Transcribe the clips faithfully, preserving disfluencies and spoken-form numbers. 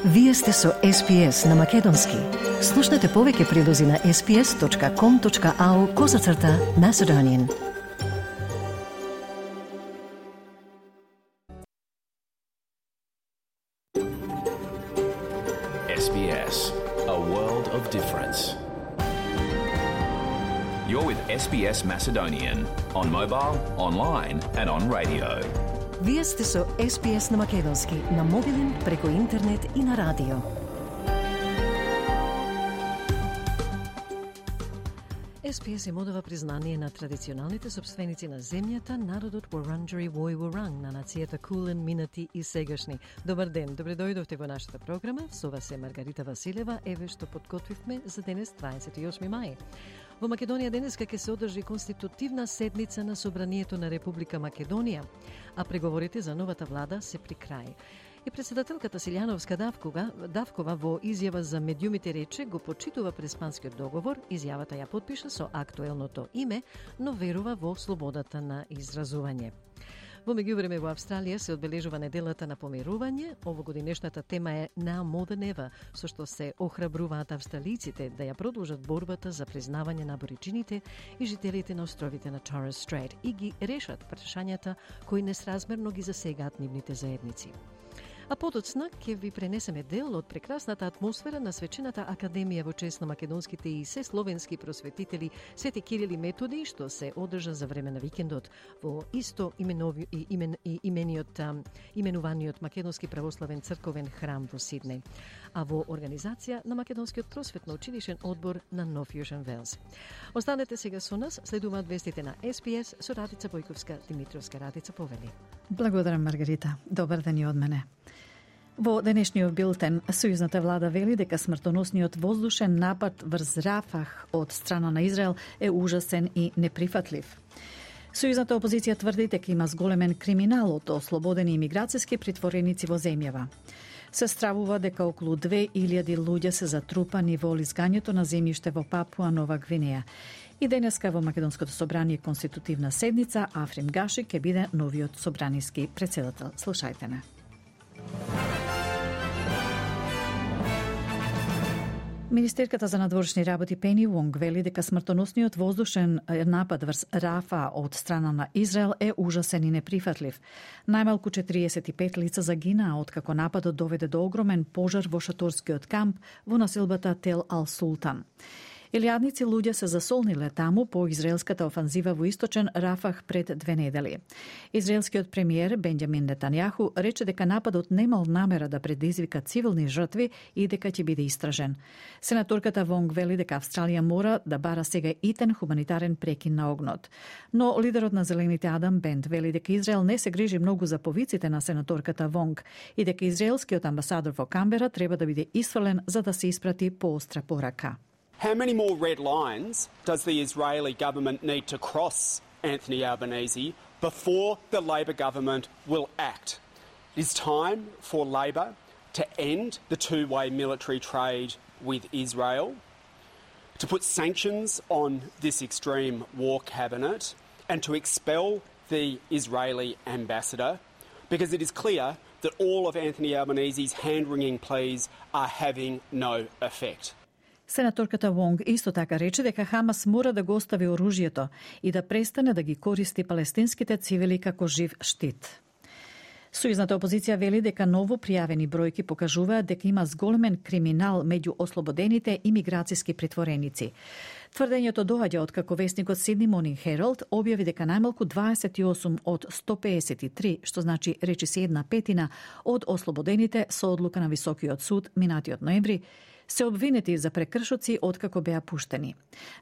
Вие сте со Ес Би Ес на Македонски. Слушнете повеќе прилози на ес би ес точка ком точка ау козацрта Macedonian. Ес Би Ес, a world of difference. You're with Ес Би Ес Macedonian on mobile, online and on radio. Вие сте со Ес Би Ес на Македонски, на мобилен, преку интернет и на радио. Ес Би Ес им одава признание на традиционалните собственици на земјата, народот Wurundjeri Woi Wurrung, на нацијата Кулен, минати и сегашни. Добар ден, добре дојдовте во нашата програма. Со вас е Маргарита Василева, еве што подготвивме за денес дваесет и осми мај. Во Македонија денеска ќе се одржи конститутивна седница на Собранието на Република Македонија, а преговорите за новата влада се при крај. И председателката Силјановска Давкова, Давкова во изјава за медиумите рече го почитува Преспанскиот договор, изјавата ја потпиша со актуелното име, но верува во слободата на изразување. Во меѓувреме во Австралија се одбележува неделата на помирување. Овогодинешната тема е Now More Than Ever, со што се охрабруваат австралиците да ја продолжат борбата за признавање на аборигините и жителите на островите на Torres Strait и ги решат прашањата кои несразмерно ги засегаат нивните заедници. А подоцна ќе ви пренесеме дел од прекрасната атмосфера на свечената академија во чест на македонските и се словенски просветители Свети Кирил и Методи, што се одржа за време на викендот во исто именови, имен, имениот, именуваниот Македонски православен црковен храм во Сиднеј, а во организација на Македонскиот просветно училишен одбор на Нов Јужен Велс. Останете сега со нас, следуваат вестите на Ес Би Ес со Радица Бојковска, Димитровска. Радица, повели. Благодарам, Маргарита. Добар ден и од мене. Во денешниот билтен, сојузната влада вели дека смртоносниот воздушен напад врз Рафах од страна на Израел е ужасен и неприфатлив. Сојузната опозиција тврди дека има зголемен криминал од ослободени имиграцијски притвореници во земјава. Се стравува дека околу две илјади луѓе се затрупани во лизгањето на земјиште во Папуа Нова Гвинеја. И денеска во Македонското собрание конститутивна седница Африм Гаши ќе биде новиот собраниски претседател. Слушајте не. Министерката за надворешни работи Пени Вонг вели дека смртоносниот воздушен напад врз Рафа од страна на Израел е ужасен и неприфатлив. Најмалку четириесет и пет лица загинаа откако нападот доведе до огромен пожар во шаторскиот камп во населбата Тел Ал Султан. Илјадници луѓе се засолниле таму по израелската офанзива во источен Рафах пред две недели. Израелскиот премиер Бенџамин Нетањаху рече дека нападот немал намера да предизвика цивилни жртви и дека ќе биде истражен. Сенаторката Вонг вели дека Австралија мора да бара сега итен хуманитарен прекин на огнот. Но лидерот на Зелените Адам Бент вели дека Израел не се грижи многу за повиците на сенаторката Вонг и дека израелскиот амбасадор во Камбера треба да биде исфрлен за да се испрати поостра порака. How many more red lines does the Israeli government need to cross, Anthony Albanese, before the Labor government will act? It is time for Labor to end the two-way military trade with Israel, to put sanctions on this extreme war cabinet, and to expel the Israeli ambassador, because it is clear that all of Anthony Albanese's hand-wringing pleas are having no effect. Сенаторката Вонг исто така рече дека Хамас мора да го остави оружјето и да престане да ги користи палестинските цивили како жив штит. Сојузната опозиција вели дека ново пријавени бројки покажуваат дека има зголемен криминал меѓу ослободените имиграцијски притвореници. Тврдењето доаѓа од како весникот Sydney Morning Herald објави дека најмалку дваесет и осум од сто пеесет и три, што значи речиси една петина од ослободените со одлука на Високиот суд минатиот ноември, се обвинети за прекршоци откако беа пуштени.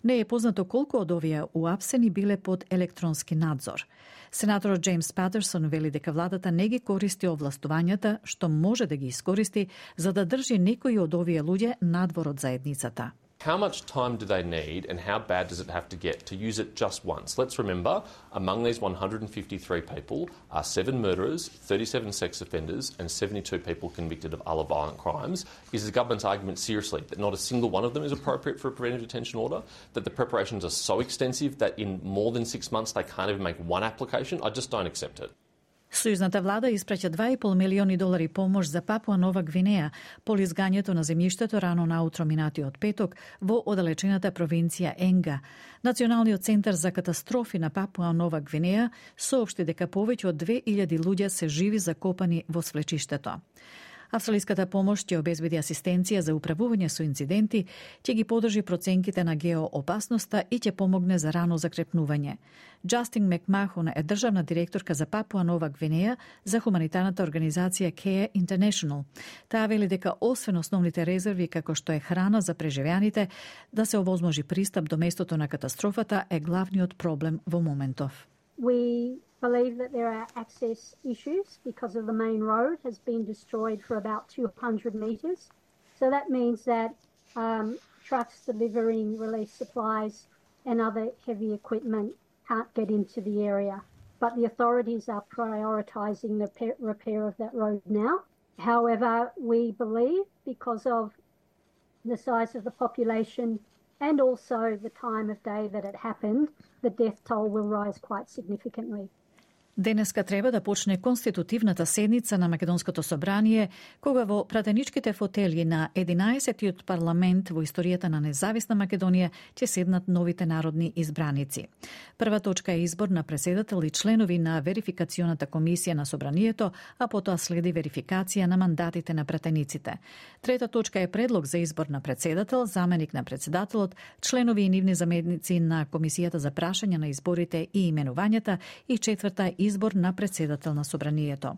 Не е познато колку од овие уапсени биле под електронски надзор. Сенаторот Джеймс Патерсон вели дека владата не ги користи овластувањата што може да ги искористи за да држи некои од овие луѓе надвор од заедницата. How much time do they need and how bad does it have to get to use it just once? Let's remember, among these one hundred fifty-three people are seven murderers, thirty-seven sex offenders and seventy-two people convicted of other violent crimes. Is the government's argument seriously that not a single one of them is appropriate for a preventive detention order? That the preparations are so extensive that in more than six months they can't even make one application? I just don't accept it. Сојузната влада испраќа два и пол милиони долари помош за Папуа Нова Гвинеја по лизгањето на земјиштето рано наутро минатиот петок во оддалечената провинција Енга. Националниот центар за катастрофи на Папуа Нова Гвинеја соопшти дека повеќе од две илјади луѓе се живи закопани во свлечиштето. Австралиската помош ќе обезбеди асистенција за управување со инциденти, ќе ги подржи проценките на геоопасноста и ќе помогне за рано закрепнување. Джастин Макмахон е државна директорка за Папуа Нова Гвинеја за хуманитарната организација Care International. Таа вели дека освен основните резерви како што е храна за преживеаните, да се овозможи пристап до местото на катастрофата е главниот проблем во моментов. We believe that there are access issues because of the main road has been destroyed for about two hundred metres. So that means that um, trucks delivering relief supplies and other heavy equipment can't get into the area. But the authorities are prioritising the repair of that road now. However, we believe because of the size of the population and also the time of day that it happened, the death toll will rise quite significantly. Денеска треба да почне конститутивната седница на Македонското собрание, кога во пратеничките фотели на единаесеттиот парламент во историјата на независна Македонија ќе седнат новите народни избраници. Прва точка е избор на председател и членови на верификационата комисија на собранието, а потоа следи верификација на мандатите на пратениците. Трета точка е предлог за избор на председател, заменик на председателот, членови и нивни заменици на комисијата за прашање на изборите и именувањата и четврта избор на председател на собранието.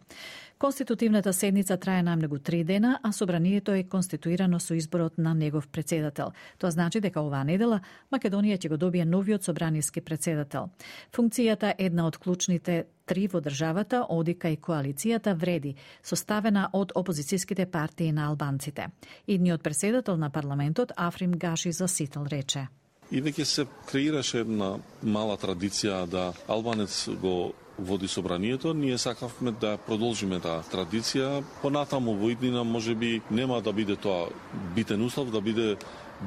Конститутивната седница трае најмногу три дена, а собранието е конституирано со изборот на негов председател. Тоа значи дека оваа недела Македонија ќе го добие новиот собраниски председател. Функцијата е една од клучните три во државата, одика и коалицијата вреди, составена од опозицијските партии на албанците. Идниот председател на парламентот Африм Гаши за Сител рече: И веќе се креираше една мала традиција да албанец го води собранието, ние сакавме да продолжиме таа традиција. Понатаму во иднина можеби нема да биде тоа битен услов, да биде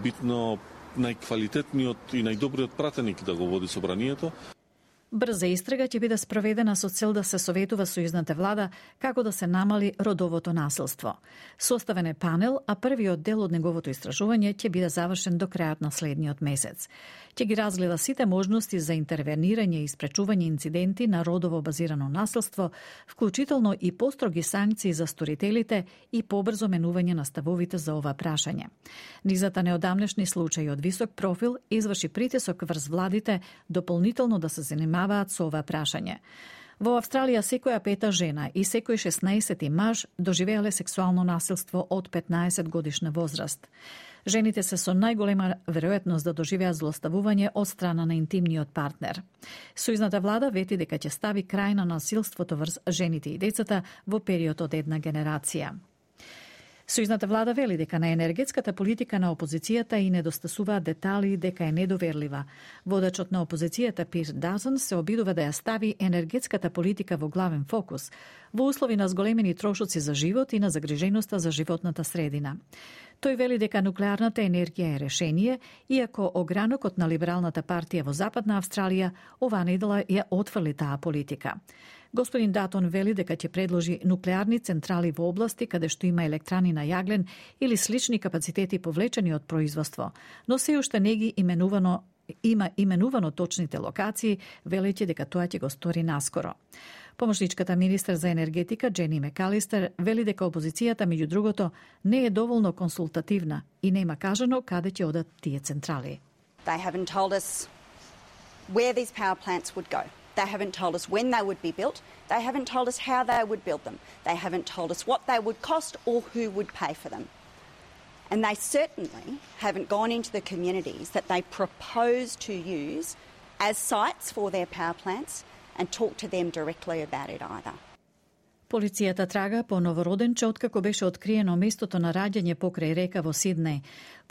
битно најквалитетниот и најдобриот пратеник да го води собранието. Брза истрага ќе биде спроведена со цел да се советува сојузната влада како да се намали родовото насилство. Составен е панел, а првиот дел од неговото истражување ќе биде завршен до крајот на следниот месец. Ќе ги разгледа сите можности за интервенирање и спречување инциденти на родово базирано насилство, вклучително и построги санкции за сторителите и побрзо менување на ставовите за ова прашање. Низата неодамнешни случаи од висок профил изврши притисок врз владите дополнително да се занимаваат со ова прашање. Во Австралија секоја пета жена и секој шеснаесети маж доживеале сексуално насилство од петнаесет годишна возраст. Жените се со најголема веројатност да доживеат злоставување од страна на интимниот партнер. Сојузната влада вети дека ќе стави крај на насилството врз жените и децата во период од една генерација. Сојузната влада вели дека на енергетската политика на опозицијата и недостасуваат детали дека е недоверлива. Водачот на опозицијата Пир Дазен се обидува да ја стави енергетската политика во главен фокус, во услови на зголемени трошоци за живот и на загриженоста за животната средина. Тој вели дека нуклеарната енергија е решение, иако огранокот на либералната партија во Западна Австралија оваа недела ја отфрли таа политика. Господин Датон вели дека ќе предложи нуклеарни централи во области каде што има електрани на јаглен или слични капацитети повлечени од производство, но се уште не ги именувано има именувано точните локации, велејќи дека тоа ќе го стори наскоро. Помошничката министер за енергетика Джени Мекалистер вели дека опозицијата меѓу другото не е доволно консултативна и нема кажано каде ќе одат тие централи. They haven't told us where these power plants would go. They haven't told us when they would be built. They haven't told us how they would build them. They haven't told us what they would cost or who would pay for them. And they certainly haven't gone into the communities that they propose to use as sites for their power plants and talk to them directly about it either. Полицијата трага по новороденче откако беше откриено местото на раѓање покрај река во Сиднеј.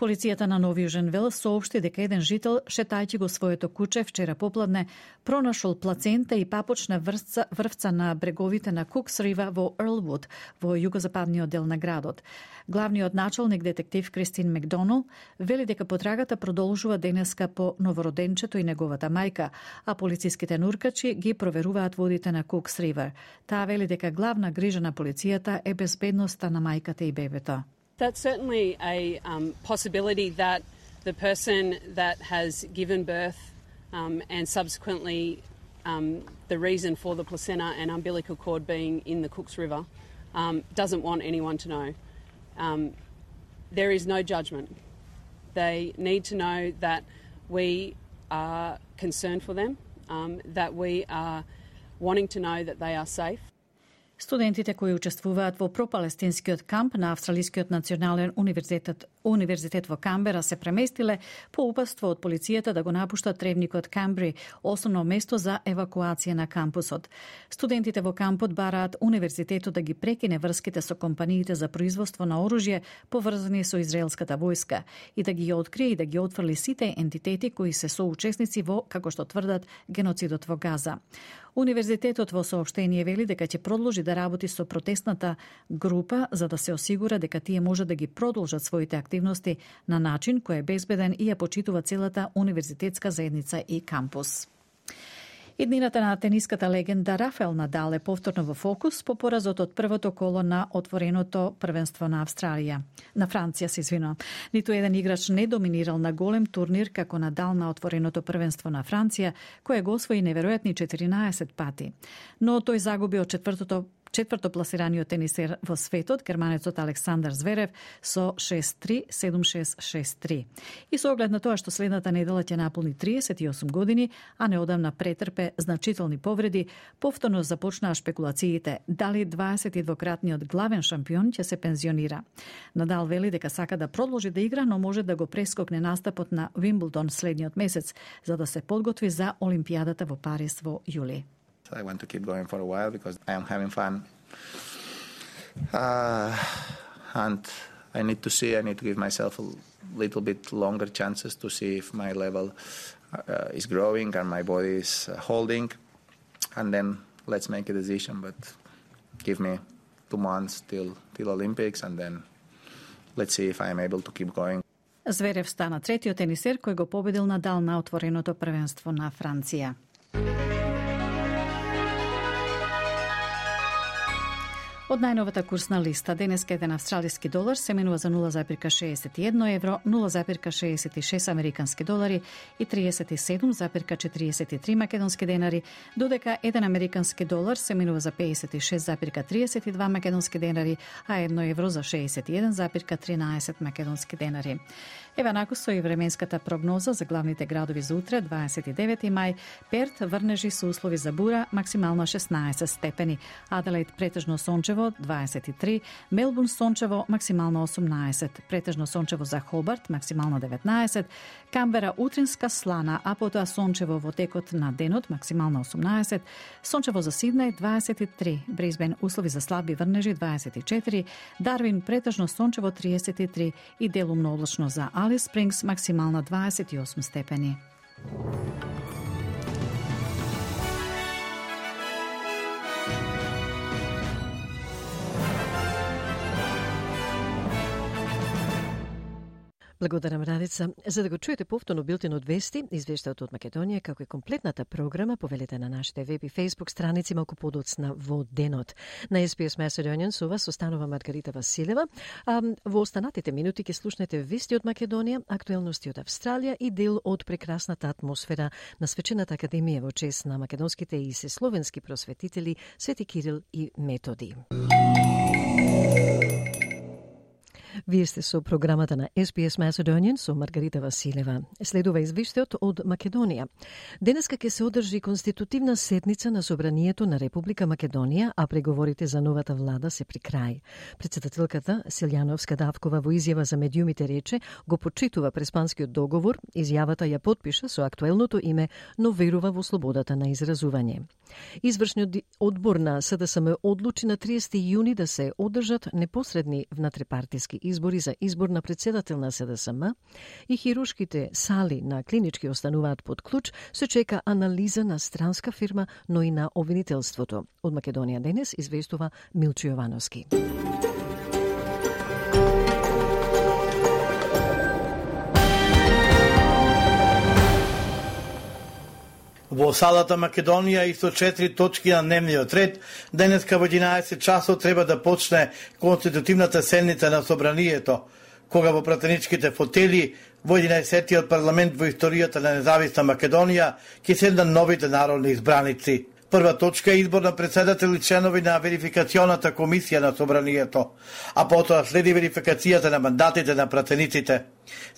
Полицијата на Нов Јужен Велс соопшти дека еден жител, шетајќи го своето куче вчера попладне, пронашол плацента и папочна врвца, врвца на бреговите на Кукс Рива во Ерлвуд, во југозападниот дел на градот. Главниот началник детектив Кристин Макдонал вели дека потрагата продолжува денеска по новороденчето и неговата мајка, а полициските нуркачи ги проверуваат водите на Кукс Ривер. Таа вели дека главна грижа на полицијата е безбедноста на мајката и бебето. That's certainly a um, possibility that the person that has given birth um, and subsequently um, the reason for the placenta and umbilical cord being in the Cooks River um, doesn't want anyone to know. Um, there is no judgment. They need to know that we are concerned for them, um, that we are wanting to know that they are safe. Студентите кои учествуваат во пропалестинскиот камп на Австралискиот национален универзитет, универзитет во Камбера се преместиле по упатство од полицијата да го напуштат тревникот Камбри, основно место за евакуација на кампусот. Студентите во кампот бараат универзитетот да ги прекине врските со компаниите за производство на оружје поврзани со израелската војска и да ги открие и да ги отфрли сите ентитети кои се соучесници во, како што тврдат, геноцидот во Газа. Универзитетот во соопштение вели дека ќе продолжи да работи со протестната група за да се осигура дека тие може да ги продолжат своите активности на начин кој е безбеден и ја почитува целата универзитетска заедница и кампус. Иднината на тениската легенда Рафаел Надал е повторно во фокус по поразот од првото коло на отвореното првенство на Австралија. На Франција се извинувам. Ниту еден играч не доминирал на голем турнир како Надал на отвореното првенство на Франција, кое го освои неверојатни четиринаесет пати. Но тој загуби од четвртото Четврто пласираниот тенисер во светот, германецот Александар Зверев, со шест три, седум шест, шест три. И со оглед на тоа што следната недела ќе наполни триесет и осум години, а неодамна претрпе значителни повреди, повторно започнаа шпекулациите дали дваесет и двократниот главен шампион ќе се пензионира. Надал вели дека сака да продолжи да игра, но може да го прескокне настапот на Уимблдон следниот месец, за да се подготви за Олимпијадата во Париз во јули. I want to keep going for a while because I am having fun. Uh, and I need to see, I need to give myself a little bit longer chances to see if my level uh, is growing and my body is uh, holding. And then let's make a decision. But give me two months till, till Olympics and then let's see if I am able to keep going. Зверев стана третиот тенисер кој го победил Надал на отвореното првенство на Франција. Од најновата курсна листа, денеска еден австралиски долар се менува за нула зарез шеесет и едно евро, нула зарез шеесет и шест американски долари и триесет и седум зарез четириесет и три македонски денари, додека еден американски долар се менува за пеесет и шест зарез триесет и два македонски денари, а едно евро за шеесет и еден зарез тринаесет македонски денари. Ева наку со и временската прогноза за главните градови за утре, дваесет и девети мај, Перт врнежи со услови за бура, максимално шеснаесет степени, Аделаид претежно сончево, дваесет и три, Мелбурн сончево, максимално осумнаесет, претежно сончево за Хобарт, максимално деветнаесет, Камбера утринска слана, а потоа сончево во текот на денот, максимално осумнаесет, сончево за Сиднеј, дваесет и три, Брисбен услови за слаби врнежи, дваесет и четири, Дарвин претежно сончево, триесет и три и делумно облачно за Алис Спрингс, максимална дваесет и осум степени. Благодарам, Радица. За да го чуете повторно билтенот вести, извештајот од Македонија, како и комплетната програма, повелете на нашите веб и фейсбук страници малку подоцна во денот. На Ес Би Ес Macedonian со вас останува Маргарита Василева. А во останатите минути ќе слушнете вести од Македонија, актуелности од Австралија и дел од прекрасната атмосфера на Свечената академија во чест на македонските и се словенски просветители Свети Кирил и Методи. Вие сте со програмата на Ес Би Ес Macedonian со Маргарита Василева. Следува извештајот од Македонија. Денеска ќе се одржи конститутивна седница на Собранието на Република Македонија, а преговорите за новата влада се при крај. Председателката Силјановска Давкова во изјава за медиумите рече го почитува Преспанскиот договор, изјавата ја потпиша со актуелното име, но верува во слободата на изразување. Извршниот одбор на С Д С М одлучи на триесети јуни да се одржат непосредни внатрепартиски избори за избор на председател на С Д С М и хируршките сали на клинички остануваат под клуч, се чека анализа на странска фирма, но и на обвинителството. Од Македонија денес известува Милчо Јовановски. Во салата Македонија и со четири точки на дневниот ред, денеска во единаесет часот треба да почне конститутивната седница на Собранието, кога во пратеничките фотели во единаесеттиот парламент во историјата на независна Македонија ќе седнат новите народни избраници. Прва точка е избор на председател и членови на верификационата комисија на Собранието, а потоа следи верификацијата на мандатите на пратениците.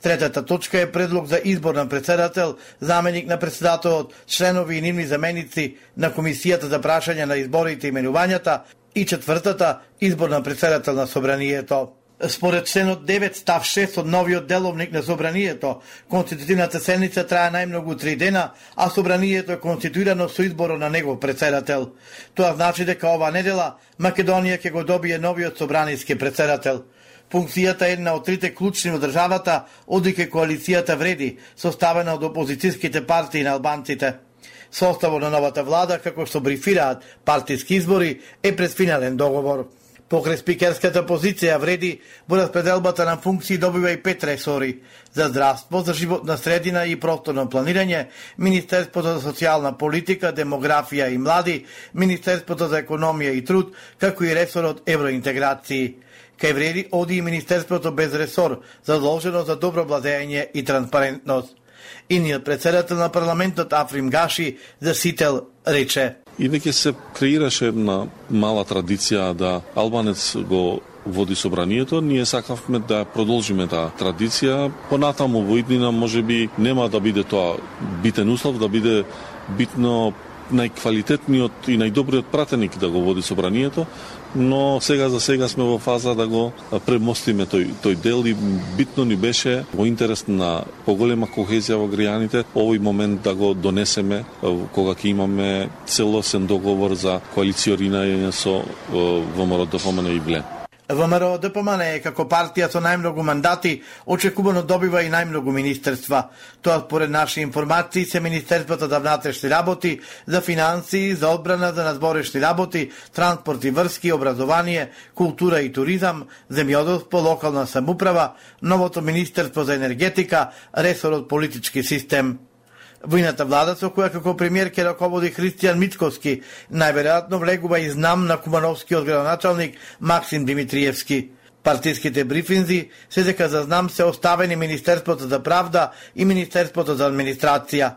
Третата точка е предлог за избор на председател, заменик на председателот, членови и нивни заменици на комисијата за прашање на изборите и именувањата, и четвртата избор на председател на Собранието. Според членот девет став шест од новиот деловник на Собранието, конститутивната седница трае најмногу три дена, а Собранието е конституирано со изборот на негов председател. Тоа значи дека оваа недела Македонија ќе го добие новиот собраниски председател. Функцијата е една од трите клучни во државата, одека коалицијата вреди, составена од опозицијските партии на албанците. Составот на новата влада, како што брифираат партиски избори, е пред финален договор. Покрај спикерската позиција вреди, во распределбата на функции добива и пет ресори: за здравство, за животна средина и просторно планирање, Министерството за социјална политика, демографија и млади, Министерството за економија и труд, како и ресорот евроинтеграции. Кај вреди оди и Министерството без ресор, задолжено за добро владење и транспарентност. Иниот председател на парламентот Африм Гаши за Сител рече: И веќе се креираше една мала традиција да албанец го води собранието, ние сакавме да продолжиме таа традиција. Понатаму во иднина можеби нема да биде тоа битен услов, да биде битно најквалитетниот и најдобриот пратеник да го води собранието, но сега за сега сме во фаза да го премостиме тој, тој дел и битно ни беше во интерес на поголема кохезија во граѓаните овој момент да го донесеме кога ќе имаме целосен договор за коалиционирање со ВМРО Д П М Н и ВЛЕ. ВМРО Д П М Н е како партија со најмногу мандати, очекувано добива и најмногу министерства. Тоа според наши информации се Министерството за внатрешни работи, за финансии, за одбрана, за надворешни работи, транспорт и врски, образование, култура и туризам, земјоделство, локална самуправа, новото Министерство за енергетика, ресорот политички систем. Војната влада со која како премиер ќе раководи Христијан Мицковски најверојатно влегува и знам на кумановскиот градоначалник Максим Димитриевски. Партиските брифинзи се дека за знам се оставени Министерството за правда и Министерството за администрација.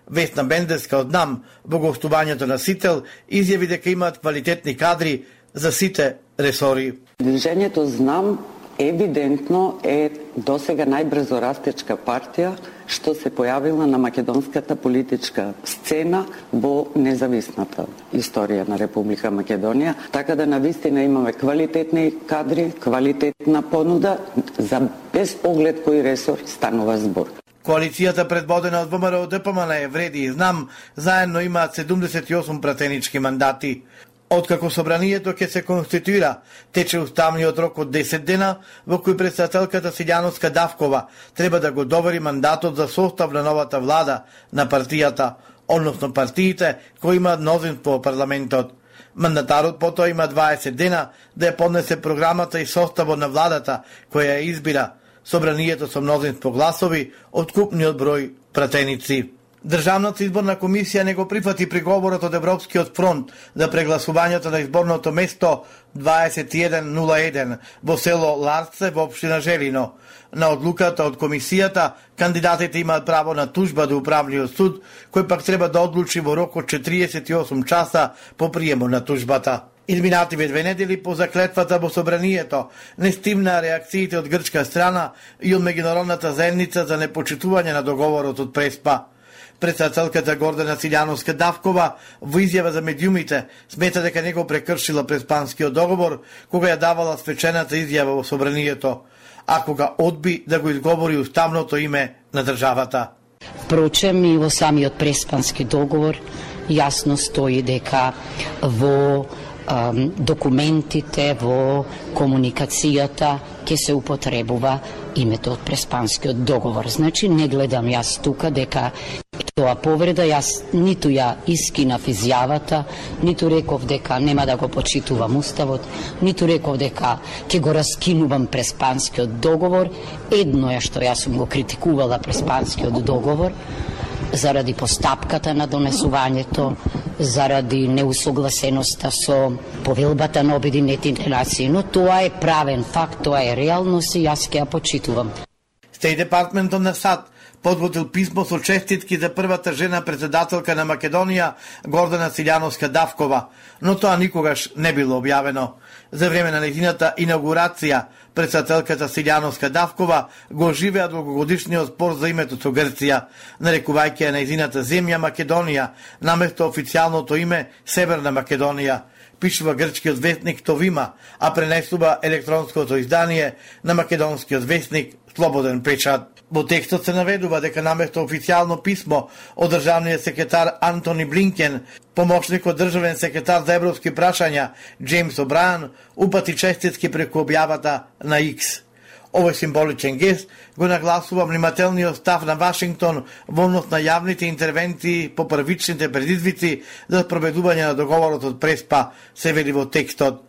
Весна Бендеска од НАМ во гостувањето на Сител изјави дека имаат квалитетни кадри за сите ресори. Движењето Знам евидентно е досега најбрзо растечка партија што се појавила на македонската политичка сцена во независната историја на Република Македонија, така да навистина имаме квалитетни кадри, квалитетна понуда за без оглед кој ресор станува збор. Коалицијата предводена од ВМРО Д П М Н вреди и Знам заедно имаат седумдесет и осум пратенички мандати. Откако собранието ќе се конституира, тече уставниот рок од десет дена, во кој председателката Силјановска Давкова треба да го довери мандатот за состав на новата влада на партијата, односно партиите кои имаат мнозинство во парламентот. Мандатарот потоа има дваесет дена да ја поднесе програмата и составот на владата која ја избира собранието со мнозинство гласови од купниот број пратеници. Државната изборна комисија не го прифати приговорот од Европскиот фронт за прегласувањето на изборното место дваесет и еден нула еден во село Ларце во општина Желино. На одлуката од комисијата, кандидатите имаат право на тужба до управниот суд, кој пак треба да одлучи во рок од четириесет и осум часа по приемот на тужбата. Изминативе две недели по заклетвата во собранието не стимнаа реакциите од грчка страна и од меѓународната заедница за непочитување на договорот од Преспа. Председателката Гордана Силјановска Давкова во изјава за медиумите смета дека не го прекршила Преспанскиот договор кога ја давала свечената изјава во собранието, а кога одби да го изговори уставното име на државата. Впрочем, и во самиот Преспански договор јасно стои дека во документите, во комуникацијата ќе се употребува името од Преспанскиот договор. Значи, не гледам јас тука дека тоа повреда, јас ниту ја искинав изјавата, ниту реков дека нема да го почитувам Уставот, ниту реков дека ќе го раскинувам Преспанскиот договор. Едно е што јас сум го критикувала Преспанскиот договор, заради постапката на донесувањето, заради неусогласеноста со повелбата на Обединетите нации, но тоа е правен факт, тоа е реалност и јас ќе ја почитувам. Стеј департментот на САД подготвил писмо со честитки за првата жена председателка на Македонија, Гордана Силјановска-Давкова, но тоа никогаш не било објавено. За време на нејзината инаугурација, председателката Силјановска-Давкова го оживеа долгогодишниот спор за името со Грција, нарекувајќи ја нејзината земја Македонија, наместо официјалното име Северна Македонија, пишува грчкиот вестник Товима, а пренесува електронското издание на македонскиот вестник Слободен печат. Во текстот се наведува дека наместо официјално писмо од државниот секретар Антони Блинкен, помошникот државен секретар за европски прашања Джеймс О'Брајан упати честитки преку објавата на Икс. Овој символичен гест го нагласува внимателниот став на Вашингтон во однос на јавните интервенции по првичните предизвици за спроведување на договорот од Преспа, се вели во текстот.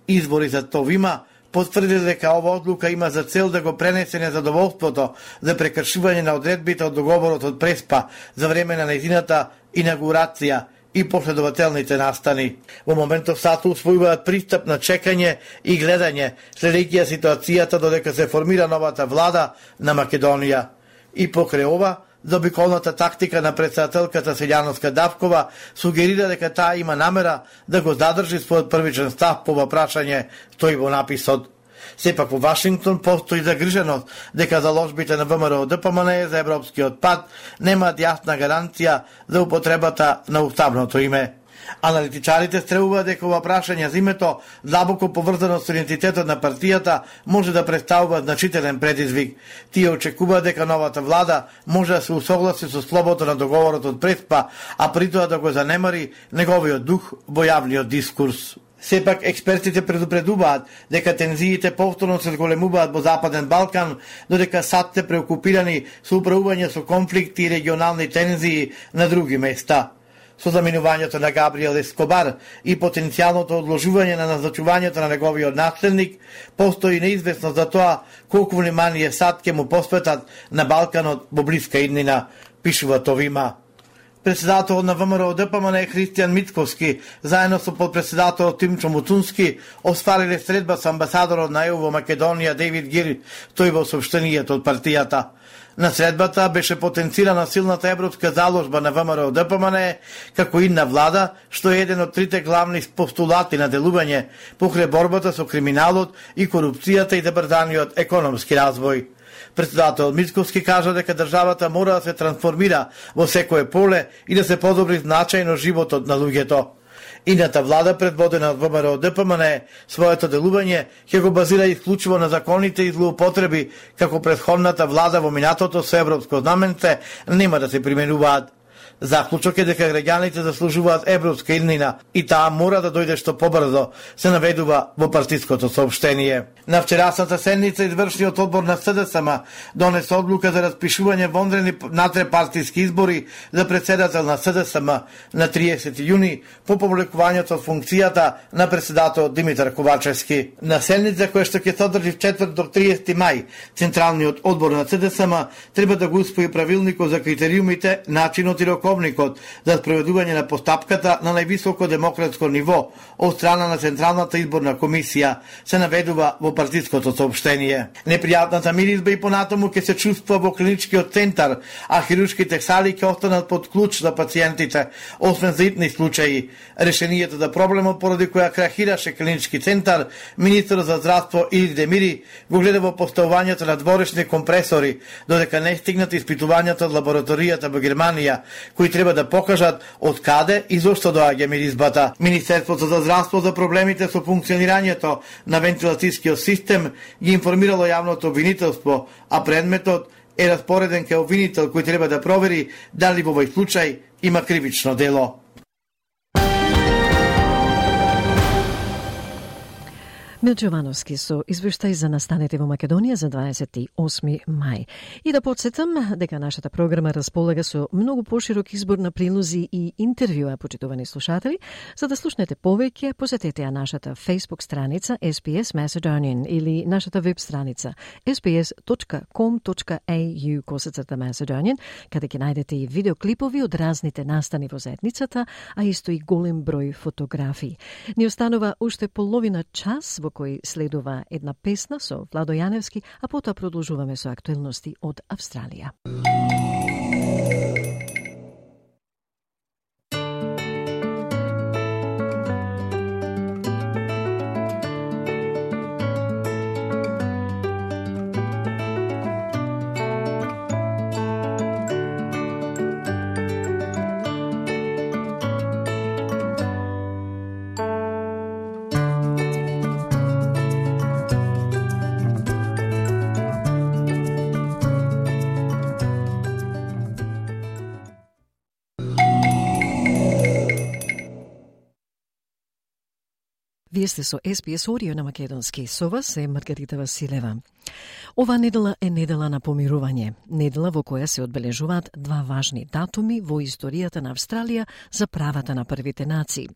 Извори за Товима потврди дека ова одлука има за цел да го пренесе незадоволството за прекршување на одредбите од договорот од Преспа за време на нејзината инаугурација и последователните настани. Во моментов САД усвојуваат пристап на чекање и гледање, следејќи ја ситуацијата додека се формира новата влада на Македонија. И покрај ова, заобиколната тактика на председателката Силјановска-Давкова сугерира дека таа има намера да го задржи својот првичен став по ова прашање, стои во написот. Сепак во Вашингтон постои загриженост дека заложбите на ВМРО Д П М Н Е за европскиот пат немаат јасна гаранција за употребата на уставното име. Аналитичарите стребуваат дека ова прашање за името, длабоко поврзано со идентитетот на партијата, може да представува значителен предизвик. Тие очекуваат дека новата влада може да се усогласи со слободата на договорот од Преспа, а при тоа да го занемари неговиот дух во јавниот дискурс. Сепак, експертите предупредуваат дека тензиите повторно се зголемуваат во Западен Балкан, додека САД се преокупирани со управување со конфликти и регионални тензии на други места. Со заминувањето на Габриел Ескобар и потенцијалното одложување на назначувањето на неговиот наследник, постои неизвестност за тоа колку внимание САД ќе му посветат на Балканот во блиска иднина, пишува Товима. Председателот на ВМРО Д П М Н Е Христијан Мицковски, заедно со подпредседателот Тимчо Муцунски, оствариле средба со амбасадорот на Е У во Македонија Дейвид Гир, тој во соопштението од партијата. На средбата беше потенцирана силната европска заложба на ВМРО Д П М Н Е како идна влада, што е еден од трите главни постулати на делување покрај борбата со криминалот и корупцијата и забрзаниот економски развој. Председател Мицковски кажа дека државата мора да се трансформира во секое поле и да се подобри значајно животот на луѓето. Идната влада, предводена од ВМРО Д П М Н Е, своето делување ќе го базира исклучиво на законите и злоупотреби, како претходната влада во минатото со европско знаменце нема да се применуваат. Заклучок е дека граѓаните заслужуваат европска иднина и таа мора да дојде што побрзо, се наведува во партиското соопштение. На вчерасната седница извршниот одбор на С Д С М донесе одлука за распишување вонредни натрепартиски избори за председател на С Д С М на триесети јуни по повлекувањето од функцијата на председател Димитар Ковачевски. На седница која што ќе се одржи в четврток до триесети мај, Централниот одбор на С Д С М треба да го усвои правилникот за критериумите, начинот и роковникот за спроведување на постапката на највисоко демократско ниво од страна на Централната изборна комисија, се наведува во партиското соопштение. Непријатната миризба и понатаму ќе се чувствува во клиничкиот центар, а хируршките сали ќе останат под клуч за пациентите, освен за итни случаи. Решението за проблемот поради која крахираше клинички центар, министерот за здравство Илир Демири го гледа во поставувањето на дворешни компресори, додека не стигнат испитувањата од лабораторијата во Германија, кои треба да покажат од каде и зошто доаѓа миризбата. Министерството за здравство за проблемите со функционирањето на вентилацијскиот систем ги информирало јавното обвинителство, а предметот е распореден кај обвинител кој треба да провери дали во овој случај има кривично дело. Милчо Јовановски со извештај за настаните во Македонија за дваесет и осми мај. И да подсетам дека нашата програма располага со многу поширок избор на прилози и интервјуа, почитувани слушатели. За да слушнете повеќе, посетете ја нашата Facebook страница S B S Macedonian или нашата веб страница s b s dot com dot a u косацрта Macedonian, каде ќе најдете и видеоклипови од разните настани во заедницата, а исто и голем број фотографии. Ни останува уште половина час во кој следува една песна со Владо Јаневски, а потоа продолжуваме со актуелности од Австралија. Вие сте со С Б С Audio на македонски. Со вас е Маргарита Василева. Ова недела е недела на помирување. Недела во која се одбележуваат два важни датуми во историјата на Австралија за правата на првите нации.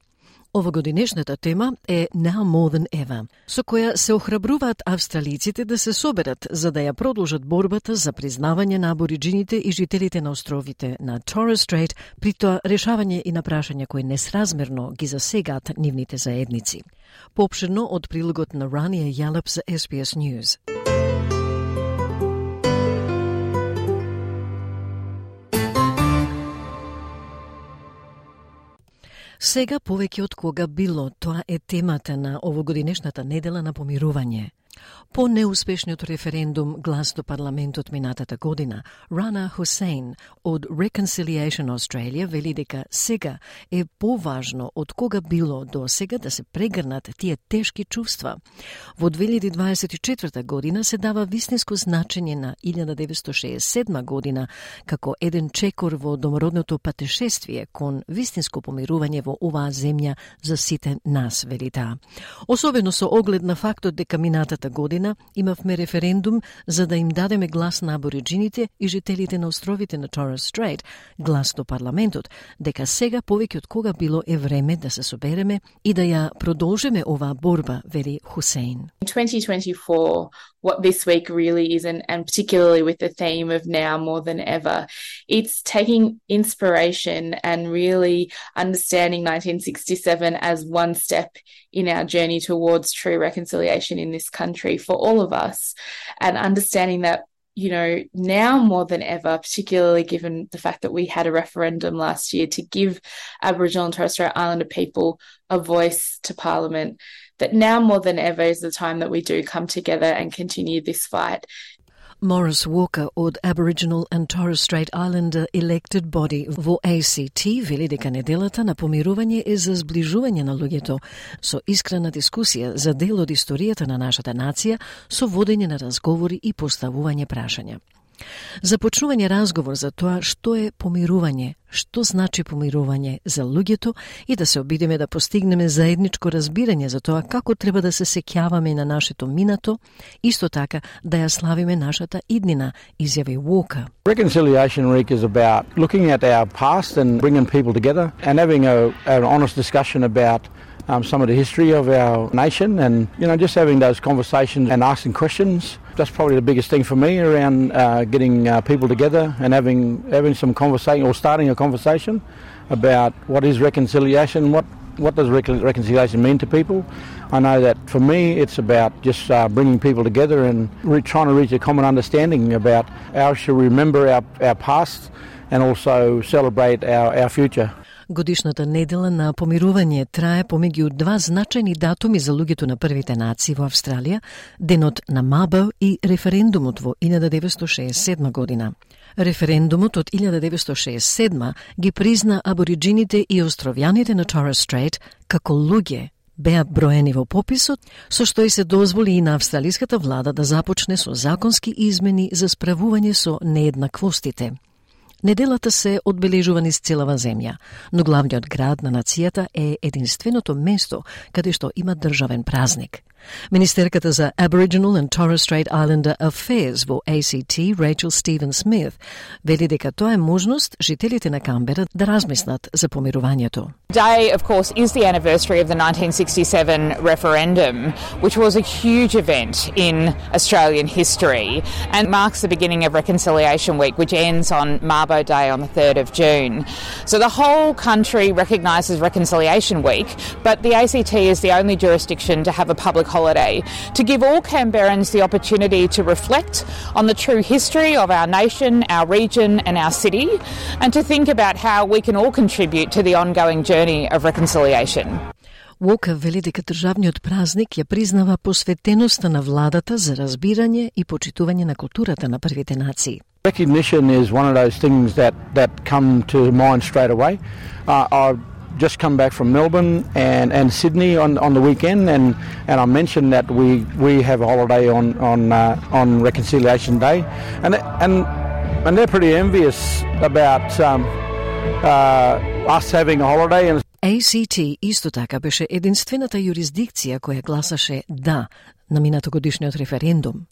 Овогодинешната тема е Now More Than Ever, со која се охрабруваат австралиците да се соберат за да ја продолжат борбата за признавање на абориджините и жителите на островите на Torres Strait, при тоа решавање и на прашања кои несразмерно ги засегаат нивните заедници. Поопширно од прилогот на Рания Јалеп за S B S News. Сега повеќе од кога било, тоа е темата на овогодинешната недела на помирување. По неуспешниот референдум глас до парламентот минатата година, Rana Hussein од Reconciliation Australia вели дека сега е поважно од кога било до сега да се прегрнат тие тешки чувства. Во две илјади дваесет и четврта година се дава вистинско значење на илјада деветстотини шеесет и седма година како еден чекор во домородното патешествие кон вистинско помирување во оваа земја за сите нас, вели таа. Особено со оглед на фактот дека минатата година имавме референдум за да им дадеме глас на абориджините и жителите на островите на Torres Strait, глас до парламентот, дека сега повеќе од кога било е време да се собереме и да ја продолжиме оваа борба, вели Хусейн. twenty twenty-four, what this week really is, and, and particularly with the theme of now more than ever, it's taking inspiration and really understanding nineteen sixty-seven as one step in our journey towards true reconciliation in this country for all of us, and understanding that, you know, now more than ever, particularly given the fact that we had a referendum last year to give Aboriginal and Torres Strait Islander people a voice to Parliament, that now more than ever is the time that we do come together and continue this fight. Morris Walker од Aboriginal and Torres Strait Islander Elected Body во A C T вели дека неделата на помирување е за зближување на луѓето со искрена дискусија за дел од историјата на нашата нација со водење на разговори и поставување прашања. Започнување разговор за тоа што е помирување, што значи помирување за луѓето и да се обидеме да постигнеме заедничко разбирање за тоа како треба да се сеќаваме на нашето минато, исто така да ја славиме нашата иднина, изјави Walker. Reconciliation Week is about looking at our past and bringing people together and having a, an honest discussion about Um, some of the history of our nation, and you know, just having those conversations and asking questions. That's probably the biggest thing for me around uh, getting uh, people together and having having some conversation or starting a conversation about what is reconciliation, what what does rec- reconciliation mean to people. I know that for me it's about just uh, bringing people together and re- trying to reach a common understanding about how we should remember our, our past and also celebrate our, our future. Годишната недела на помирување трае помеѓу два значајни датуми за луѓето на првите нации во Австралија, денот на Мабо и референдумот во илјада деветстотини шеесет и седма година. Референдумот од илјада деветстотини шеесет и седма ги призна абориджините и островјаните на Torres Strait како луѓе, беа броени во пописот, со што и се дозволи и на австралиската влада да започне со законски измени за справување со нееднаквостите. Неделата се одбележува низ целава земја, но главниот град на нацијата е единственото место каде што има државен празник. Министерката за Aboriginal and Torres Strait Islander Affairs во A C T, Rachel Stephen Smith, вели дека тоа е можност жителите на Камбера да размислат за помирувањето. Today, of course, is the anniversary of the nineteen sixty-seven referendum, which was a huge event in Australian history and marks the beginning of Reconciliation Week, which ends on Mabo Day on the third of June. So the whole country recognises Reconciliation Week, but the A C T is the only jurisdiction to have a public holiday to give all Canberrans the opportunity to reflect on the true history of our nation, our region and our city, and to think about how we can all contribute to the ongoing journey of reconciliation. Уока вели дека државниот празник ја признава посветеноста на владата за разбирање и почитување на културата на првите нации. Recognition is one of those things that, that come to mind straight away. Uh, I've just come back from Melbourne and, and Sydney on, on the weekend, and, and I mentioned that we, we have a holiday on on uh, on Reconciliation Day, and and and they're pretty envious about um, uh, us having a holiday. And A C T исто така беше единствената юрисдикција која гласаше да на минатогодишниот референдум.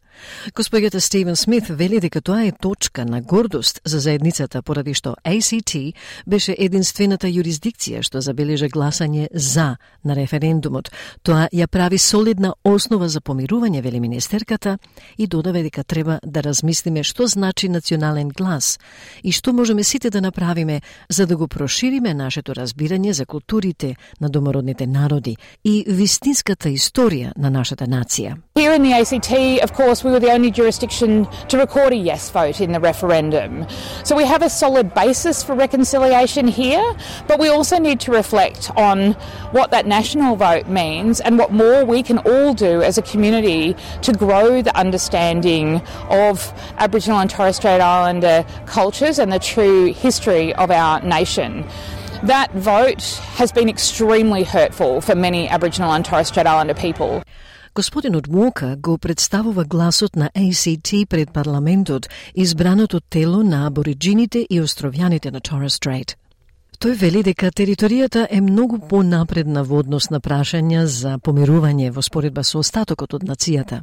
Госпоѓата Стивен Смит вели дека тоа е точка на гордост за заедницата, поради што A C T беше единствената юрисдикција што забележа гласање за на референдумот. Тоа ја прави солидна основа за помирување, вели министерката, и додава дека треба да размислиме што значи национален глас и што можеме сите да направиме за да го прошириме нашето разбирање за културите на домородните народи и вистинската историја на нашата нација. Here in the A C T, of course, we were the only jurisdiction to record a yes vote in the referendum. So we have a solid basis for reconciliation here, but we also need to reflect on what that national vote means and what more we can all do as a community to grow the understanding of Aboriginal and Torres Strait Islander cultures and the true history of our nation. That vote has been extremely hurtful for many Aboriginal and Torres Strait Islander people. Господинот Уока го представува гласот на A C T пред парламентот, избраното тело на абориджините и островјаните на Torres Strait. Тој вели дека територијата е многу понапредна во однос на прашања за помирување во споредба со остатокот од нацијата.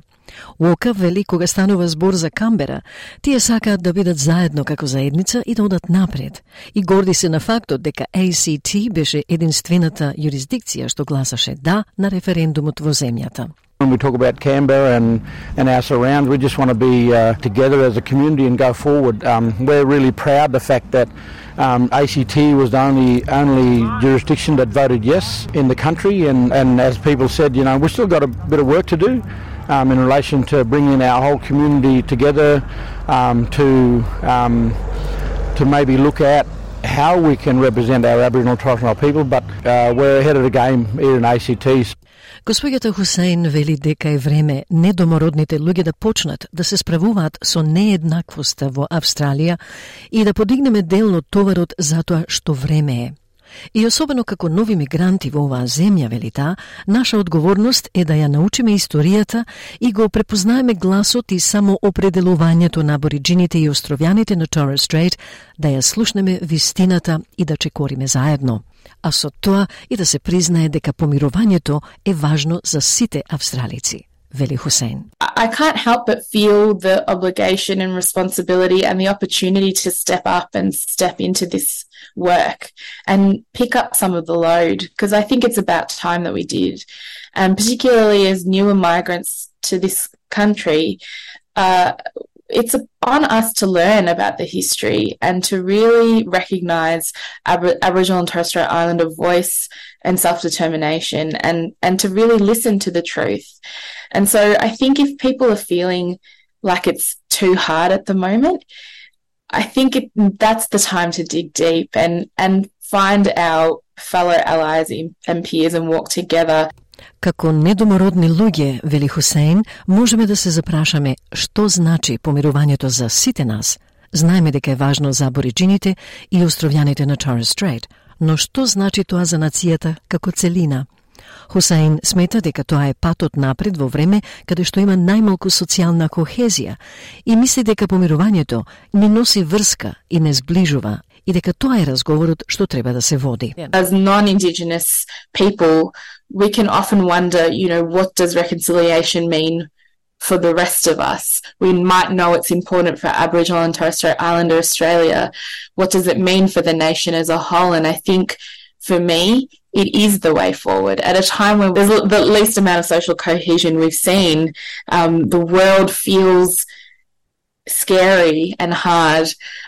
Уока вели кога станува збор за Камбера, тие сакаат да бидат заедно како заедница и да одат напред. И горди се на фактот дека A C T беше единствената юрисдикција што гласаше да на референдумот во земјата. When we talk about Canberra and, and our surrounds, we just want to be uh, together as a community and go forward. Um, we're really proud of the fact that um, A C T was the only only jurisdiction that voted yes in the country, and, and as people said, you know, we've still got a bit of work to do um, in relation to bringing our whole community together um, to um, to maybe look at how we can represent our Aboriginal and Torres Strait people, but uh, we're ahead of the game here in A C T. Господјата Хусейн вели дека е време недомородните луѓе да почнат да се справуваат со нееднаквоста во Австралија и да подигнеме дел од товарот за тоа што време е. И особено како нови мигранти во оваа земја, вели таа, наша одговорност е да ја научиме историјата и го препознаеме гласот и само определувањето на абориджините и островјаните на Torres Strait, да ја слушнеме вистината и да чекориме заедно. А со тоа и да се признае дека помирувањето е важно за сите австралици, вели Хусейн. I can't help but feel the obligation and responsibility and the opportunity to step up and step into this work and pick up some of the load, because I think it's about time that we did. And particularly as newer migrants to this country, uh, it's on us to learn about the history and to really recognise Ab- Aboriginal and Torres Strait Islander voice and self-determination, and, and to really listen to the truth. And so I think if people are feeling like it's too hard at the moment, I think it, that's the time to dig deep and, and find our fellow allies and peers and walk together. Како недомородни луѓе, вели Хусейн, можеме да се запрашаме што значи помирувањето за сите нас. Знаеме дека е важно за абориджините и островјаните на Torres Strait, но што значи тоа за нацијата како целина? Хусейн смета дека тоа е патот напред во време каде што има најмалку социјална кохезија и мисли дека помирувањето ни носи врска и не сближува и дека тоа е разговорот што треба да се води. As non-Indigenous people, we can often wonder, you know, what does reconciliation mean for the rest of us? We might know it's important for Aboriginal and Torres Strait Islander Australia. What does it mean for the nation as a whole? And I think for me, it is the way forward. At a time when there's the least amount of social cohesion we've seen, um, the world feels scary and hard.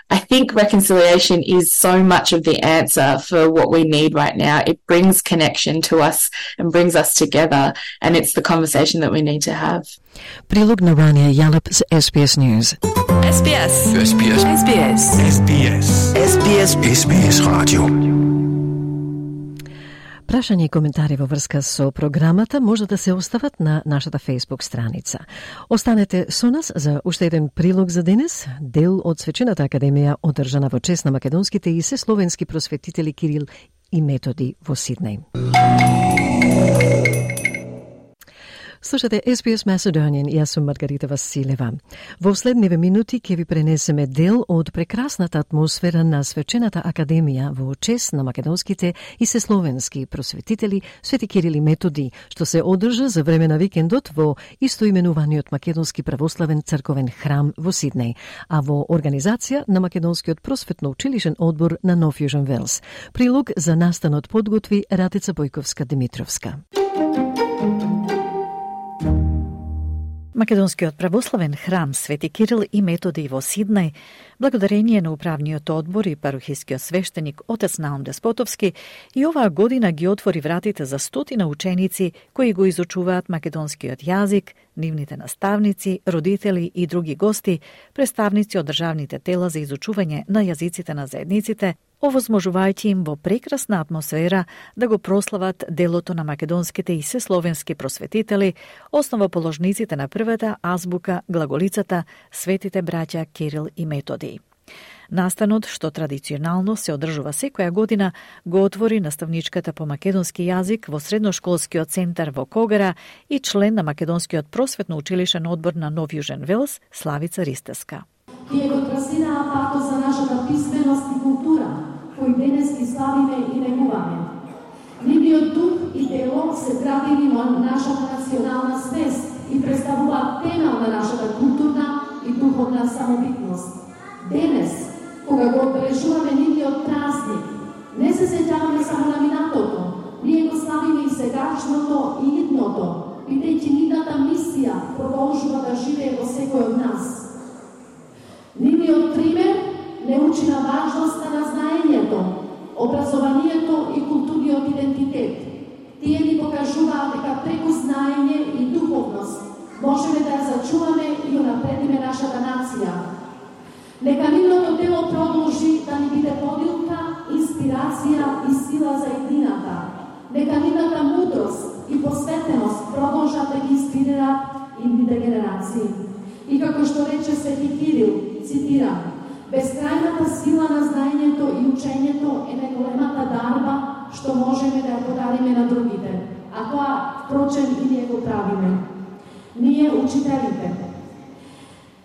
I think reconciliation is so much of the answer for what we need right now. It brings connection to us and brings us together, and it's the conversation that we need to have. Прилог на Рания Ялап с S B S News. S B S. S B S. S B S. S B S. S B S. S B S Radio. Прашања и коментари во врска со програмата може да се остават на нашата Facebook страница. Останете со нас за уште еден прилог за денес, дел од Свечената академија одржана во чест на македонските и сесловенски просветители Кирил и Методи во Сиднеј. Слушате S B S Macedonian и јас сум Маргарита Василева. Во следниве минути ќе ви пренесеме дел од прекрасната атмосфера на Свечената академија во чест на македонските и сесловенски просветители Свети Кирил и Методи, што се одржа за време на викендот во истоименуваниот Македонски православен црковен храм во Сиднеј, а во организација на Македонскиот просветно-училишен одбор на Нов Јужен Велс. Прилог за настанот подготви Радица Бојковска-Димитровска. Македонскиот православен храм Свети Кирил и Методи во Сиднеј, благодарение на управниот одбор и парухискиот свештеник отец Наум Деспотовски, и оваа година ги отвори вратите за стотина ученици кои го изучуваат македонскиот јазик, нивните наставници, родители и други гости, представници од државните тела за изучување на јазиците на заедниците, овозможувајќи им во прекрасна атмосфера да го прослават делото на македонските и сесловенски просветители, основоположниците на првата азбука, глаголицата, светите браќа Кирил и Методи. Настанот, што традиционално се одржува секоја година, го отвори наставничката по македонски јазик во средношколскиот центар во Когара и член на Македонскиот просветно-училишен одбор на Нов Јужен Велс, Славица Ристеска. Тие го трасираа патот за нашата писменост и култура, кој денес ги славиме и негуваме. Нивниот дух и дело се градени во нашата национална свест и представуваат темел на нашата културна и духовна самобитност. Денес, кога го обележуваме нивниот празник, не се сеќаваме само на минатото, ние го славиме и сегашното и идното, бидејќи нивната мисија продолжува да живее во секој од нас. Нивниот пример не учи на важноста на знаењето, образованието и културниот идентитет. Тие ни покажуваат дека преку знаење и духовност можеме да ја зачуваме и унапредиме нашата нација. Нека нивното дело продолжи да ни биде подилка, инспирација и сила за едината. Нека нивната мудрост и посветеност продолжат да ги инспирираат идните генерации. И како што рече Свети Кирил, цитирам, безкрајната сила на знаењето и учењето е најголемата дарба што можеме да ја подариме на другите, а тоа, впрочем, и ние го правиме. Ние, учителите.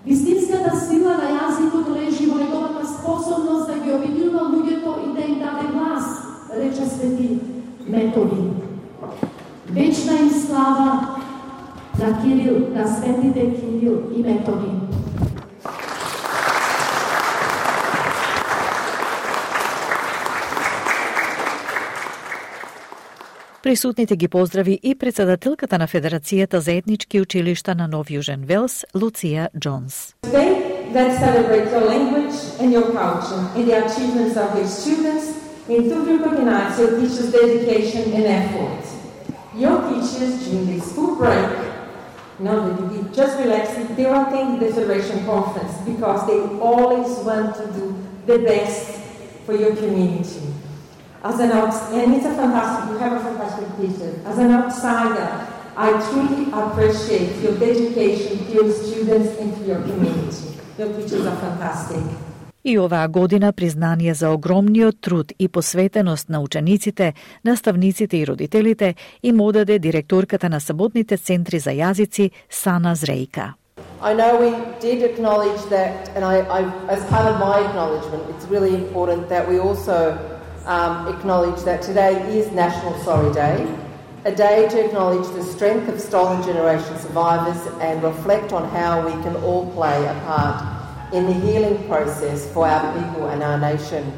Вистинската сила на јазикот лежи во неговата способност да ги обединува луѓето и да им даде глас, рече Свети Методи. Вечна им слава на Кирил, на светите Кирил и Методи. Присутните ги поздрави и председателката на Федерацијата за етнички училишта на Нов Јужен Велс, Луција Джонс. That celebrates your language and your culture and the achievements of your students and to recognize your teachers' dedication and effort. Your teachers during the school break, now that you be just relaxing, they will attend the Federation Conference because they always want to do the best for your community. As an outsider, and it's a fantastic, you have a fantastic teacher. As an outsider, I truly appreciate your dedication to your students and to your community. Your teachers are fantastic. И оваа година признание за огромниот труд и посветеност на учениците, наставниците и родителите им одаде директорката на саботните центри за јазици Сана Зрејка. I know we did acknowledge that, and I, I, as part of my acknowledgement, it's really important that we also um, acknowledge that today is National Sorry Day, a day to acknowledge the strength of Stolen Generation survivors and reflect on how we can all play a part in the healing process for our people and our nation.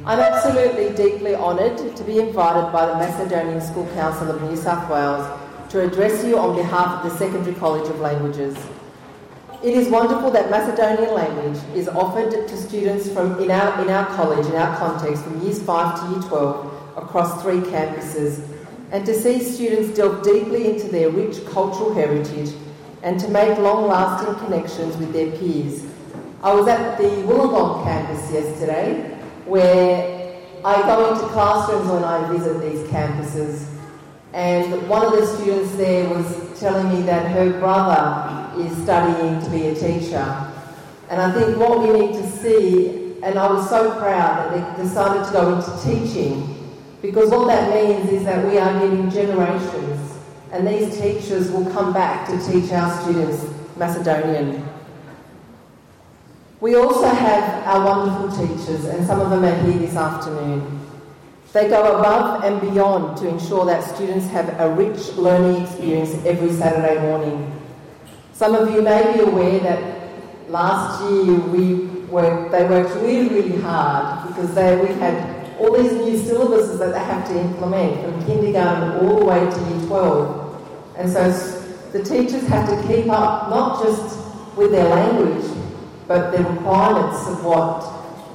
I'm absolutely deeply honoured to be invited by the Macedonian School Council of New South Wales to address you on behalf of the Secondary College of Languages. It is wonderful that Macedonian language is offered to students from in our, in our college, in our context, from years five to year twelve across three campuses, and to see students delve deeply into their rich cultural heritage and to make long-lasting connections with their peers. I was at the Wollongong campus yesterday, where I go into classrooms when I visit these campuses, and one of the students there was telling me that her brother is studying to be a teacher. And I think what we need to see, and I was so proud that they decided to go into teaching, because what that means is that we are getting generations, and these teachers will come back to teach our students Macedonian. We also have our wonderful teachers, and some of them are here this afternoon. They go above and beyond to ensure that students have a rich learning experience every Saturday morning. Some of you may be aware that last year we worked, they worked really, really hard because they, we had all these new syllabuses that they have to implement from kindergarten all the way to year twelve. And so the teachers have to keep up not just with their language, but the requirements of what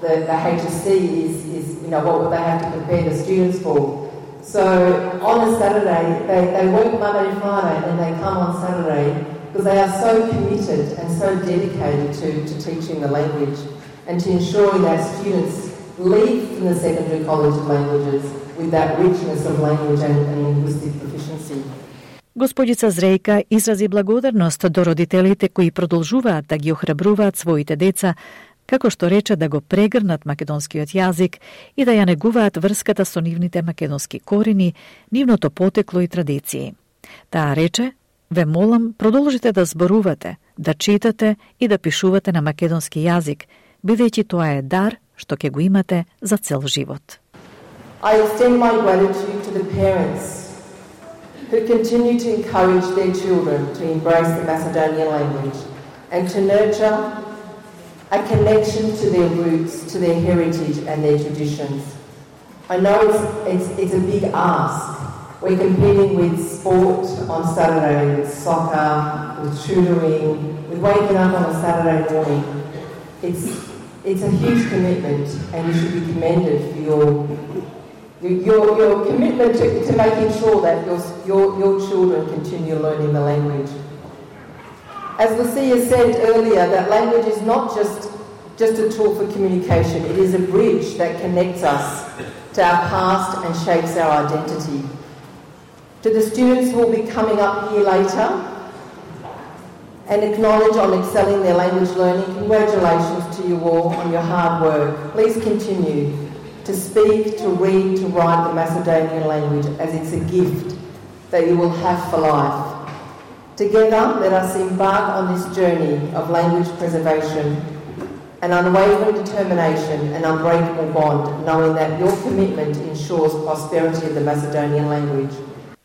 the, the H S C is, is, you know, what they have to prepare the students for. So on a Saturday, they, they work Monday to Friday, and then they come on Saturday because they are so committed and so dedicated to, to teaching the language and to ensuring that students leave from the Secondary College of Languages with that richness of language and, and linguistic proficiency. Господица Зрејка изрази благодарност до родителите кои продолжуваат да ги охрабруваат своите деца, како што рече да го прегрнат македонскиот јазик и да ја негуваат врската со нивните македонски корени, нивното потекло и традиции. Таа рече: "Ве молам, продолжите да зборувате, да читате и да пишувате на македонски јазик, бидејќи тоа е дар што ќе го имате за цел живот." I extend my gratitude to the parents who continue to encourage their children to embrace the Macedonian language and to nurture a connection to their roots, to their heritage and their traditions. I know it's, it's, it's a big ask. We're competing with sport on Saturday, with soccer, with tutoring, with waking up on a Saturday morning. It's, it's a huge commitment, and you should be commended for your Your, your commitment to, to making sure that your, your, your children continue learning the language. As Lucia said earlier, that language is not just, just a tool for communication, it is a bridge that connects us to our past and shapes our identity. To the students who will be coming up here later and acknowledge on excelling their language learning, congratulations to you all on your hard work. Please continue to speak, to read, to write the Macedonian language as it's a gift that you will have for life. Together, let us embark on this journey of language preservation, an unwavering determination, an unbreakable bond, knowing that your commitment ensures prosperity of the Macedonian language.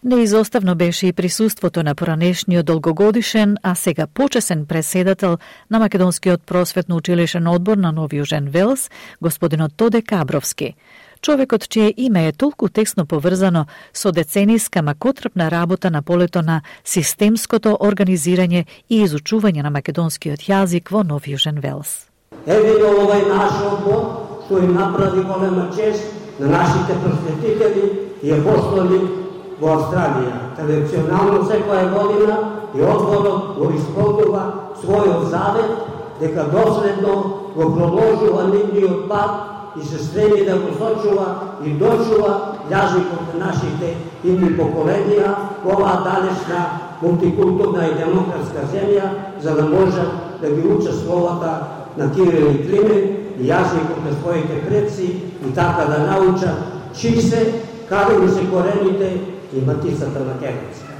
Неизоставно беше и присуството на поранешниот долгогодишен, а сега почесен преседател на Македонскиот просветно-училишен одбор на Нов Јужен Велс, господинот Тоде Кабровски. Човекот чие име е толку тесно поврзано со децениска макотрпна работа на полето на системското организирање и изучување на македонскиот јазик во Нов Јужен Велс. Еве овој наш одбор што им направи голема чест на нашите просветители и апостоли во Австралија. Традиционално секоја година и одборот го исполнува својот завет дека доследно го продолжува нивниот пат и се стреми да го сочува и дочува јазикот на нашите идни поколенија во оваа далечна мултикултурна и демократска земја, за да можат да ги учат словата на Кирил и Климен и јазикот на своите предци и така да научат чии се, каде му се корените и матицата македонска.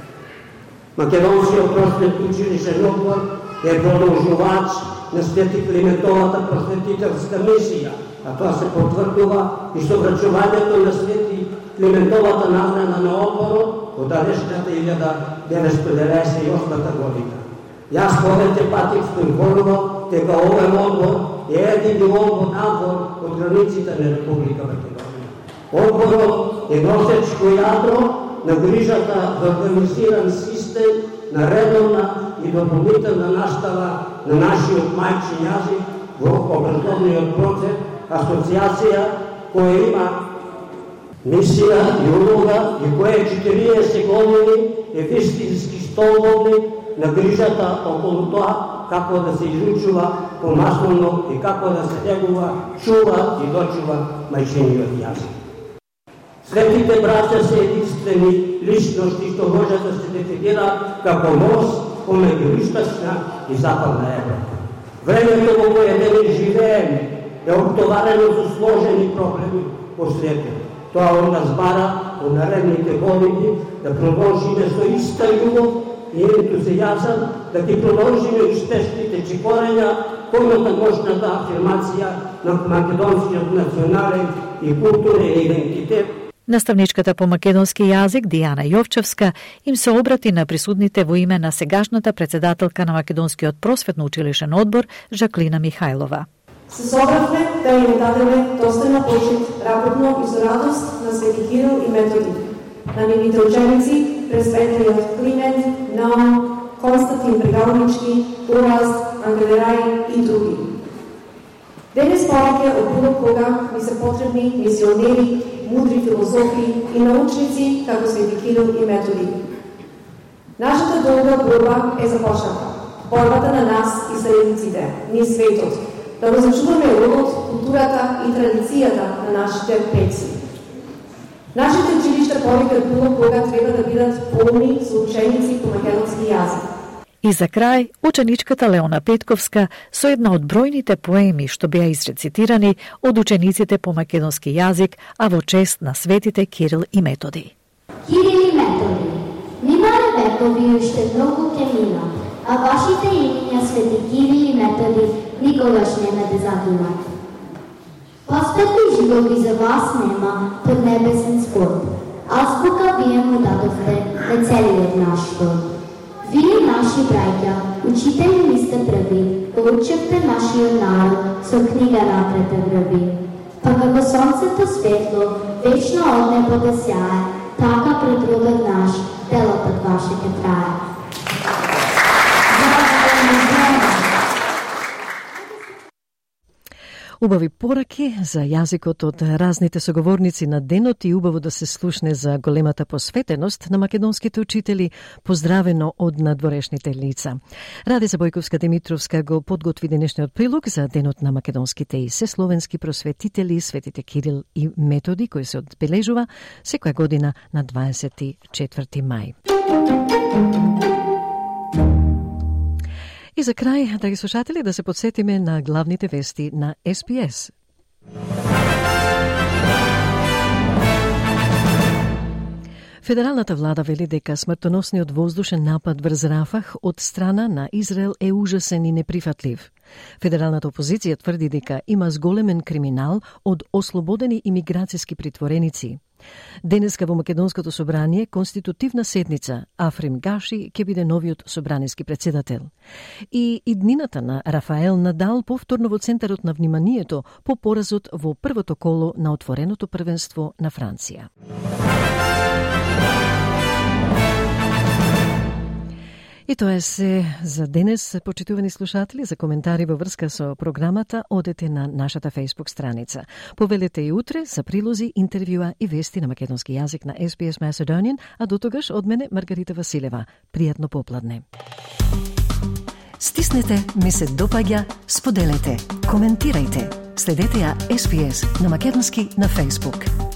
Македонскиот просветен училишен одбор е продолжувач на Свети Климентовата просветителска мисија, а тоа се потврдува и со врачувањето на Свети Климентовата награда на одборот од далечната илјада деветстотини деветдесет и осма година. Јас повеќе пати сум информирал дека овој одбор е едини одбор надвор од границите на Република Македонија. Одборот е носечко јадро на грижата за организиран систем на редовна и дополнителна настава на нашиот мајчин јазик во образовниот процес, асоциација која има мисија и улога и која четириесет години е вистински столбовник на грижата околу тоа како да се изучува помаслено и како да се негува, чува и дочува мајчиниот јазик. Светите браќа се единствени личности што може да се дефинира како мост помеѓу источна и западна Европа. Времето во кое денес живееме е обтоварено со сложени проблеми по светот. Тоа од нас бара во наредните години да продолжиме со иста љубов и ентузијазам, да ги продолжиме успешните чекорења, којната мощната афирмација на македонскиот национален и културен идентитет. Наставничката по македонски јазик Дијана Јовчевска им се обрати на присутните во име на сегашната председателка на Македонскиот просветно училишен одбор Жаклина Михајлова. Се собравме да им дадеме достојна почит, работно и со радост на Свети Кирил и Методи, на нивните ученици, пресветлиот Климент, Наум, Константин Бригалнички, Ураз, Ангелерај и други. Денес повеќе од било кога ми се потребни мисионери, мудри филозофи и научници како Свети Кирил и Методи. Нашата долга борба е започната. Борбата на нас и сојузниците, ние светот, да го зачуваме родот, културата и традицијата на нашите предци. Нашите училишта повеќе од било кога треба да бидат полни со ученици по македонски јазик. И за крај, ученичката Леона Петковска со една од бројните поеми што беа изрецитирани од учениците по македонски јазик, а во чест на светите Кирил и Методи. Кирил и Методи, минале векови уште многу ќе минат, а вашите имиња свети Кирил и Методи никогаш нема да загинат. Посветли животи за вас нема под небесен скорб. Азбука вие му дадовте на целиот наш род. Вие, наши браќа, учители ми сте први, учевте нашиот народ со книга напред да врви. Па како сонцето светло, вечно од небо да сјае, така пред родот наш, делотот ваше ке трае. Убави пораки за јазикот од разните соговорници на денот и убаво да се слушне за големата посветеност на македонските учители, поздравено од надворешните лица. Радица Бојковска-Димитровска го подготви денешниот прилог за денот на македонските и сесловенски просветители, светите Кирил и Методи, кој се одбележува секоја година на дваесет и четврти мај. И за крај, драги слушатели, да се подсетиме на главните вести на Ес Би Ес. Федералната влада вели дека смртоносниот воздушен напад врз Рафах од страна на Израел е ужасен и неприфатлив. Федералната опозиција тврди дека има зголемен криминал од ослободени имиграцијски притвореници. Денеска во Македонското собрание конститутивна седница, Африм Гаши ќе биде новиот собраниски председател. И иднината на Рафаел Надал повторно во центарот на вниманието по поразот во првото коло на отвореното првенство на Франција. И тоа е се за денес, почитувани слушатели. За коментари во врска со програмата одете на нашата Facebook страница. Повелете и утре за прилози, интервјуа и вести на македонски јазик на Ес Би Ес Macedonian, а до тогаш од мене Маргарита Василева. Пријатно попладне. Стиснете, ми се допаѓа, споделете, коментирајте. Следете ја Ес Би Ес на македонски на Facebook.